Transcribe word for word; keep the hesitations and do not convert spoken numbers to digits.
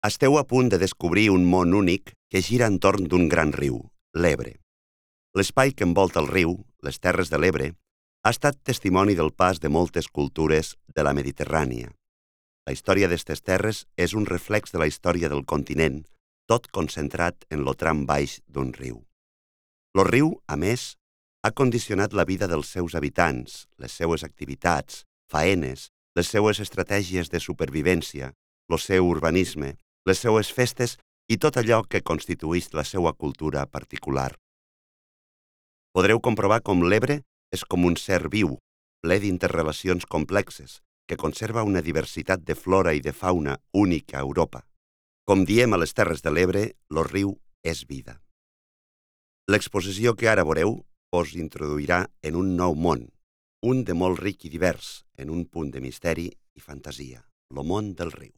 Esteu a punt de descobrir un món únic que gira entorn d'un gran riu, l'Ebre. L'espai que envolta el riu, les Terres de l'Ebre, ha estat testimoni del pas de moltes cultures de la Mediterrània. La història d'estes terres és un reflex de la història del continent, tot concentrat en lo tram baix d'un riu. Lo riu, a més, ha condicionat la vida dels seus habitants, les seues activitats, faenes, les seues estratègies de supervivència, lo seu urbanisme, les seues festes i tot allò que constituïx la seua cultura particular. Podreu comprovar com l'Ebre és com un ser viu, ple d'interrelacions complexes, que conserva una diversitat de flora i de fauna única a Europa. Com diem a les Terres de l'Ebre, lo riu és vida. L'exposició que ara veureu us introduirà en un nou món, un de molt ric i divers, en un punt de misteri i fantasia, lo món del riu.